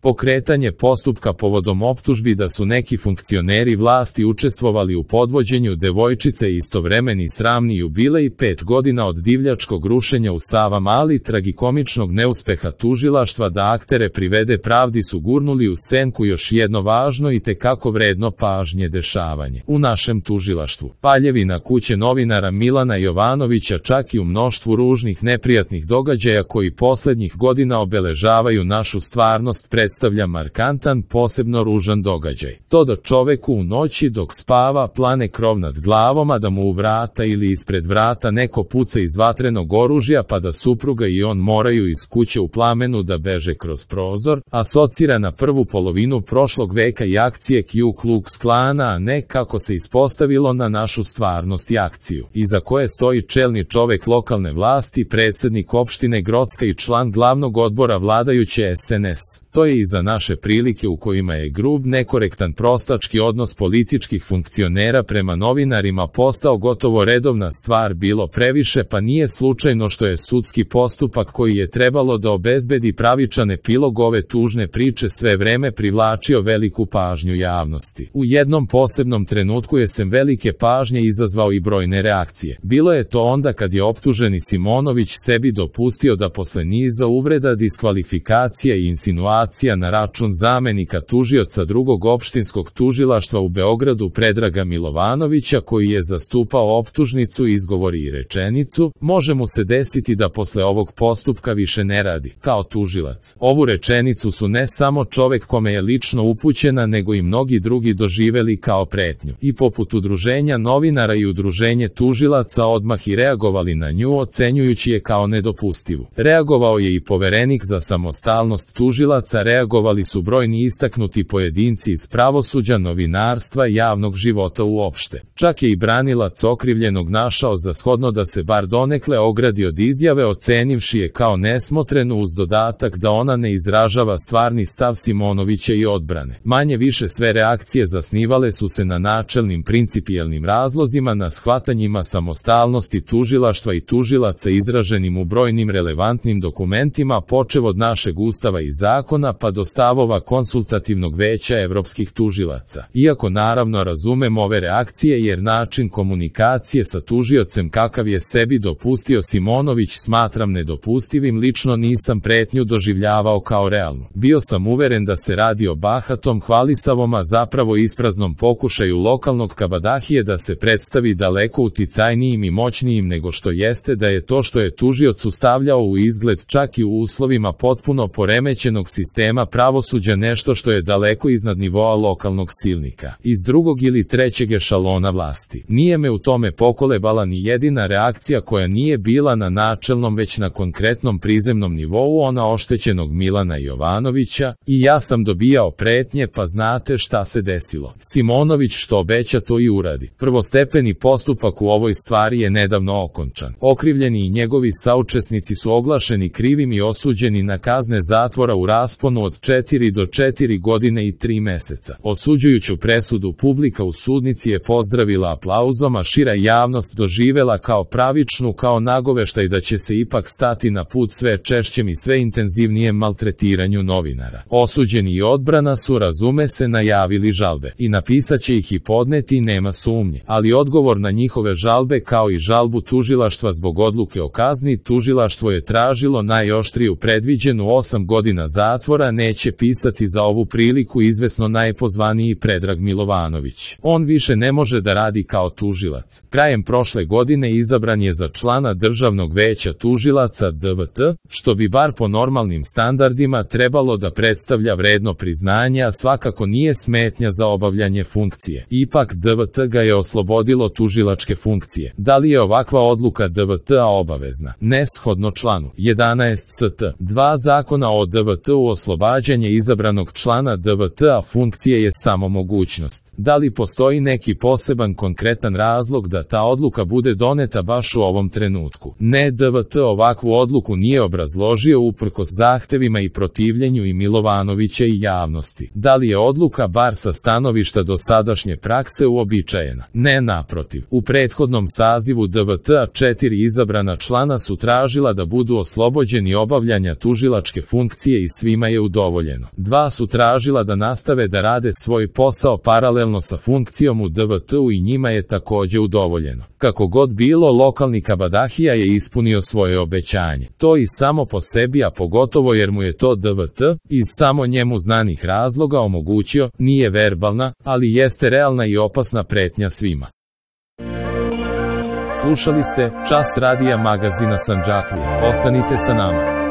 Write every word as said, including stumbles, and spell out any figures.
Pokretanje postupka povodom optužbi da su neki funkcioneri vlasti učestvovali u podvođenju devojčice i istovremeni sramni jubilej pet godina od divljačkog rušenja u Savamali, tragikomičnog neuspeha tužilaštva da aktere privede pravdi su gurnuli u senku još jedno važno i tekako vredno pažnje dešavanje u našem tužilaštvu. Paljevina kuće novinara Milana Jovanovića, čak i u mnoštvu ružnih neprijatnih događaja koji poslednjih godina obeležavaju našu stvarnost, predstavlja markantan, posebno ružan događaj. To da čoveku u noći dok spava plane krov nad glavom, a da mu u vrata ili ispred vrata neko puca iz vatrenog oružja, pa da supruga i on moraju iz kuće u plamenu da beže kroz prozor, asocira na prvu polovinu prošlog veka i akcije Ku Klux Klana, a ne, kako se ispostavilo, na našu stvarnost i akciju, iza koje stoji čelni čovek lokalne vlasti, predsednik opštine Grocka i član glavnog odbora vladajuće es en es. To je i za naše prilike u kojima je grub, nekorektan prostački odnos političkih funkcionera prema novinarima postao gotovo redovna stvar bilo previše, pa nije slučajno što je sudski postupak koji je trebalo da obezbedi pravičan epilog ove tužne priče sve vreme privlačio veliku pažnju javnosti. U jednom posebnom trenutku je sem velike pažnje izazvao i brojne reakcije. Bilo je to onda kad je optuženi Simonović sebi dopustio da posle niza uvreda, diskvalifikacija i insinuacija na račun zamenika tužioca drugog opštinskog tužilaštva u Beogradu Predraga Milovanovića, koji je zastupao optužnicu, izgovori i rečenicu: može mu se desiti da posle ovog postupka više ne radi kao tužilac. Ovu rečenicu su ne samo čovek kome je lično upućena, nego i mnogi drugi doživeli kao pretnju i poput udruženja novinara i udruženje tužilaca odmah i reagovali na nju, ocenjujući je kao nedopustivu. Reagovao je i Poverenik za samostalnost tužilaca, reagovali su brojni istaknuti pojedinci iz pravosuđa, novinarstva i javnog života uopšte. Čak je i branilac okrivljenog našao za shodno da se bar donekle ogradi od izjave, ocenivši je kao nesmotrenu, uz dodatak da ona ne izražava stvarni stav Simonovića i odbrane. Manje više sve reakcije zasnivale su se na načelnim principijelnim razlozima, na shvatanjima samostalnosti tužilaštva i tužilaca izraženim u brojnim relevantnim dokumentima, počev od našeg ustava i zakona pa do stavova konsultativnog veća evropskih tužilaca. Iako naravno razumem ove reakcije, jer način komunikacije sa tužiocem kakav je sebi dopustio Simonović smatram nedopustivim, lično nisam pretnju doživljavao kao realnu. Bio sam uveren da se radi o bahatom, hvalisavom, a zapravo ispraznom pokušaju lokalnog kabadahije da se predstavi daleko uticajnijim i moćnijim nego što jeste, da je to što je tužiocu stavljao u izgled čak i u uslovima potpuno poremećenog sistema pravosuđa nešto što je daleko iznad nivoa lokalnog silnika iz drugog ili trećeg ešalona vlasti. Nije me u tome pokolebala ni jedina reakcija koja nije bila na načelnom već na konkretnom prizemnom nivou, ona oštećenog Milana Jovanovića, i ja sam dobijao pretnje, pa znate šta se desilo. Simonović što obeća to i uradi. Prvostepeni postupak u ovoj stvari je nedavno okončan. Okrivljeni i njegovi saučesnici su oglašeni krivim i osuđeni na kazne zatvora u rasponu od četiri do četiri godine i tri meseca. Osuđujuću presudu publika u sudnici je pozdravila aplauzom, a šira javnost doživela kao pravičnu, kao nagoveštaj da će se ipak stati na put sve češćem i sve intenzivnijem maltretiranju novinara. Osuđeni i odbrana su, razume se, najavili žalbe i napisaće ih i podneti, nema sumnje, ali odgovor na njihove žalbe kao i žalbu tužilaštva zbog odluke o kazni tužilaštvo je tražilo najoštriju predviđenu osam godina zatvora. Neće pisati za ovu priliku izvesno najpozvaniji Predrag Milovanović. On više ne može da radi kao tužilac. Krajem prošle godine izabran je za člana Državnog veća tužilaca D V T, što bi bar po normalnim standardima trebalo da predstavlja vredno priznanje, a svakako nije smetnja za obavljanje funkcije. Ipak D V T ga je oslobodilo tužilačke funkcije. Da li je ovakva odluka D V T-a obavezna? Neshodno članu jedanaest st. dva Zakona o D V T-u oslobađanje izabranog člana D V T-a funkcije je samo mogućnost. Da li postoji neki poseban konkretan razlog da ta odluka bude doneta baš u ovom trenutku? Ne, D V T ovakvu odluku nije obrazložio uprkos zahtevima i protivljenju i Milovanovića i javnosti. Da li je odluka bar sa stanovišta dosadašnje prakse uobičajena? Ne, naprotiv. U prethodnom sazivu D V T-a četiri izabrana člana su tražila da budu oslobođeni obavljanja tužilačke funkcije i svima je udovoljeno. Dva su tražila da nastave da rade svoj posao paralelno sa funkcijom u D V T-u i njima je takođe udovoljeno. Kako god bilo, lokalni kabadahija je ispunio svoje obećanje. To i samo po sebi, a pogotovo jer mu je to D V T, iz samo njemu znanih razloga omogućio, nije verbalna, ali jeste realna i opasna pretnja svima. Slušali ste Čas radija magazina Sandžaklija. Ostanite sa nama.